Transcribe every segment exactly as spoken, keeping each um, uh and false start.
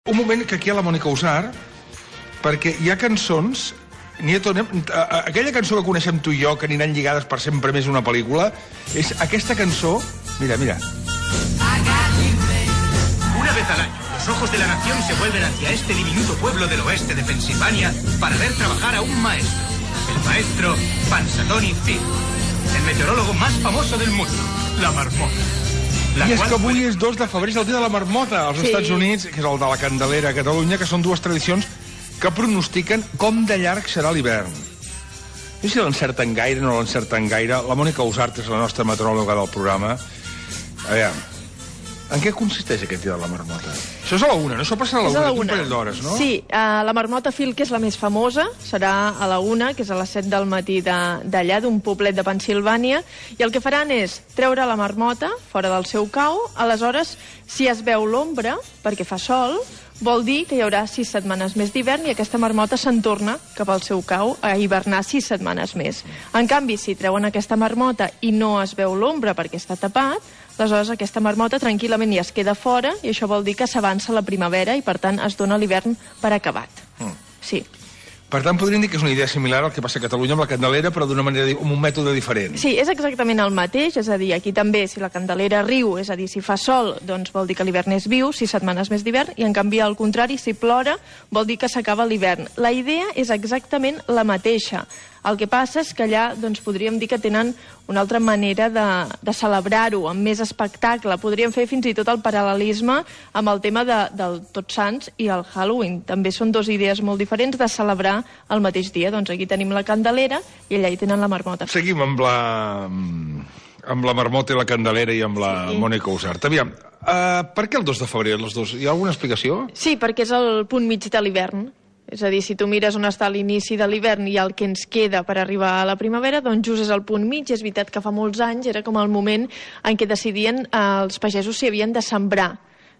Un moment que aquí hi ha la Mònica Usart, perquè hi ha cançons... Aquella cançó que coneixem tu i jo, que aniran lligades per sempre més una pel·lícula, és aquesta cançó... Mira, mira. Una vez al año, los ojos de la nación se vuelven hacia este diminuto pueblo del oeste de Pensilvania para ver trabajar a un maestro, el maestro Punxsutawney Phil, el meteorólogo más famoso del mundo, la marmota. I és que avui és dos de febrer, és el dia de la marmota als Estats Units, que és el de la Candelera a Catalunya, que són dues tradicions que pronostiquen com de llarg serà l'hivern. No sé si l'encerten gaire o no l'encerten gaire. La Mònica Usart és la nostra meteoròloga del programa. A veure, en què consisteix aquest dia de la marmota? Això és a la una, no? Això passarà a la una, un parell d'hores, no? Sí, uh, la marmota Phil, que és la més famosa, serà a la una, que és a les set del matí d'allà, d'un poblet de Pensilvània, i el que faran és treure la marmota fora del seu cau. Aleshores, si es veu l'ombra, perquè fa sol, vol dir que hi haurà sis setmanes més d'hivern i aquesta marmota se'n torna cap al seu cau a hivernar sis setmanes més. En canvi, si treuen aquesta marmota i no es veu l'ombra perquè està tapat, aleshores aquesta marmota tranquil·lament ja es queda fora i això vol dir que s'avança la primavera i, per tant, es dona l'hivern per acabat. Mm. Sí. Per tant, podríem dir que és una idea similar al que passa a Catalunya amb la Candelera, però d'una manera, amb un mètode diferent. Sí, és exactament el mateix, és a dir, aquí també, si la Candelera riu, és a dir, si fa sol, doncs vol dir que l'hivern és viu, sis setmanes més d'hivern, i en canvi, al contrari, si plora, vol dir que s'acaba l'hivern. La idea és exactament la mateixa. El que passa és que allà doncs, podríem dir que tenen una altra manera de, de celebrar-ho, amb més espectacle. Podríem fer fins i tot el paral·lelisme amb el tema de, del Tots Sants i el Halloween. També són dues idees molt diferents de celebrar el mateix dia. Doncs aquí tenim la Candelera i allà hi tenen la marmota. Seguim amb la, amb la marmota i la Candelera i amb la sí. Mònica Usart. Aviam, uh, per què el dos de febrer, els dos? Hi ha alguna explicació? Sí, perquè és el punt mig de l'hivern. És a dir, si tu mires on està l'inici de l'hivern i el que ens queda per arribar a la primavera, doncs just és el punt mig. És veritat que fa molts anys era com el moment en què decidien eh, els pagesos si havien de sembrar.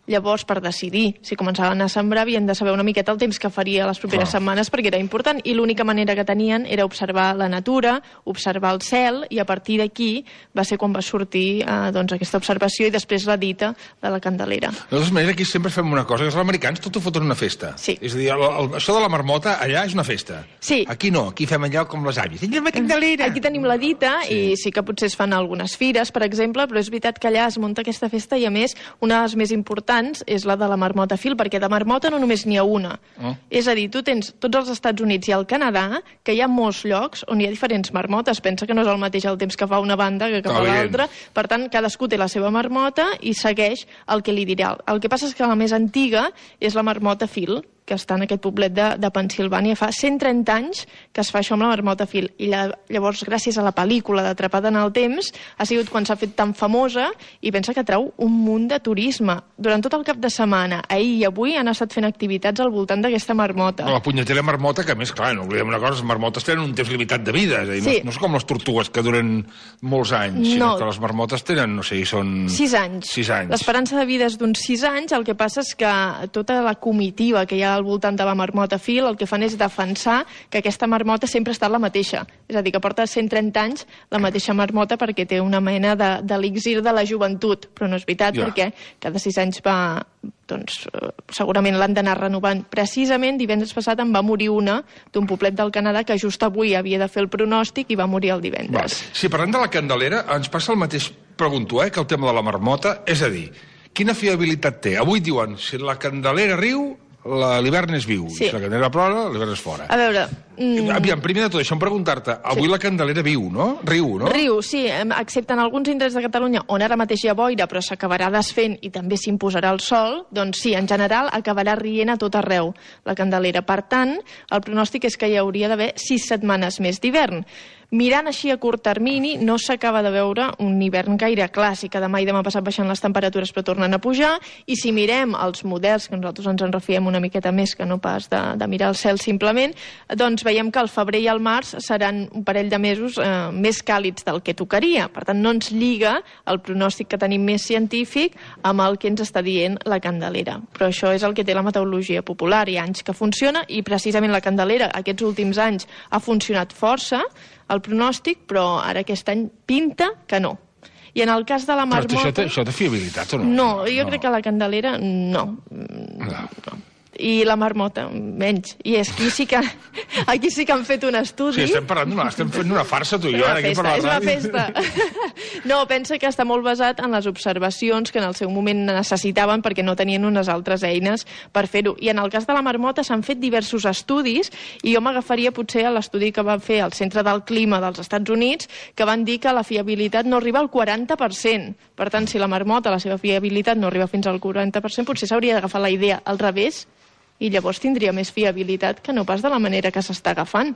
Llavors, per decidir si començaven a sembrar, havien de saber una miqueta el temps que faria les properes ah. setmanes, perquè era important, i l'única manera que tenien era observar la natura, observar el cel, i a partir d'aquí va ser quan va sortir eh, doncs, aquesta observació i després la dita de la Candelera. De totes maneres, aquí sempre fem una cosa, que els americans tot ho foten una festa. Sí. És a dir, el, el, això de la marmota allà és una festa. Sí. Aquí no, aquí fem allò com les àvies. La Candelera! Aquí tenim la dita, sí. I sí que potser es fan algunes fires, per exemple, però és veritat que allà es munta aquesta festa i, a més, una de les més importants és la de la marmota Phil, perquè de marmota no només n'hi ha una. Oh. És a dir, tu tens tots els Estats Units i el Canadà, que hi ha molts llocs on hi ha diferents marmotes. Pensa que no és el mateix el temps que fa una banda que que fa l'altra. Per tant, cadascú té la seva marmota i segueix el que li dirà. El que passa és que la més antiga és la marmota Phil, que està en aquest poblet de, de Pensilvània. Fa cent trenta anys que es fa això amb la marmota Phil. I lla, llavors, gràcies a la pel·lícula d'Atrapada en el temps, ha sigut quan s'ha fet tan famosa i pensa que treu un munt de turisme. Durant tot el cap de setmana, ahir i avui, han estat fent activitats al voltant d'aquesta marmota. La punyetera marmota, que a més, clar, no oblidem una cosa, les marmotes tenen un temps limitat de vida. És a dir, sí. no, no és com les tortugues que duren molts anys, no. sinó que les marmotes tenen, no sé, són... Sis anys. Sis anys. L'esperança de vida és d'uns sis anys. El que passa és que tota la comitiva que hi ha al voltant de la marmota Phil, el que fan és defensar que aquesta marmota sempre ha estat la mateixa. És a dir, que porta cent trenta anys la mateixa marmota perquè té una mena d'elixir de, de la joventut. Però no és veritat, ja. perquè cada sis anys va... doncs segurament l'han d'anar renovant. Precisament divendres passat en va morir una d'un poblet del Canadà que just avui havia de fer el pronòstic i va morir el divendres. Va. Si parlem de la Candelera, ens passa el mateix, pregunto, eh, que el tema de la marmota. És a dir, quina fiabilitat té? Avui diuen, si la Candelera riu, l'hivern és viu, sí. Si la Candelera plora, l'hivern és fora. A veure... Mm... Aviam, primer de tot, deixa'm preguntar-te, avui sí. la Candelera viu, no? Riu, no? Riu, sí, excepte en alguns indrets de Catalunya on ara mateix hi ha boira però s'acabarà desfent i també s'imposarà el sol, doncs sí, en general acabarà rient a tot arreu la Candelera. Per tant, el pronòstic és que hi hauria d'haver sis setmanes més d'hivern. Mirant així a curt termini, no s'acaba de veure un hivern gaire clàssic. Demà i demà passat baixant les temperatures però tornen a pujar, i si mirem els models, que nosaltres ens en refiem una miqueta més que no pas de, de mirar el cel simplement, doncs veiem que el febrer i el març seran un parell de mesos eh, més càlids del que tocaria. Per tant, no ens lliga el pronòstic que tenim més científic amb el que ens està dient la Candelera. Però això és el que té la meteorologia popular. Hi ha anys que funciona, i precisament la Candelera aquests últims anys ha funcionat força, el pronòstic, però ara aquest any pinta que no. I en el cas de la marmota... Però això té, això té fiabilitat o no? No, jo no. crec que la Candelera no. no. no. I la marmota, menys. I és aquí sí que, aquí sí que han fet un estudi. Sí, estem parlant d'una, estem fent una farsa, tu i jo. És una festa, és una festa. No, pensa que està molt basat en les observacions que en el seu moment necessitaven perquè no tenien unes altres eines per fer-ho. I en el cas de la marmota s'han fet diversos estudis i jo m'agafaria potser a l'estudi que van fer al Centre del Clima dels Estats Units, que van dir que la fiabilitat no arriba al quaranta per cent. Per tant, si la marmota, la seva fiabilitat no arriba fins al quaranta per cent, potser s'hauria d'agafar la idea al revés i llavors tindria més fiabilitat que no pas de la manera que s'està agafant.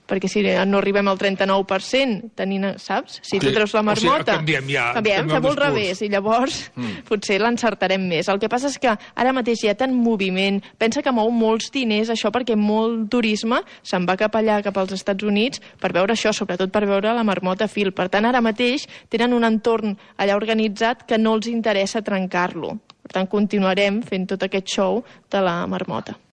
Perquè si no arribem al trenta-nou per cent, tenint, saps? Si tu treus la marmota... O sigui, canviem ja. Canviem, fem el revés, i llavors mm. potser l'encertarem més. El que passa és que ara mateix hi ha tant moviment, pensa que mou molts diners això perquè molt turisme se'n va cap allà, cap als Estats Units, per veure això, sobretot per veure la marmota fil. Per tant, ara mateix tenen un entorn allà organitzat que no els interessa trencar-lo. Per tant, continuarem fent tot aquest show de la marmota.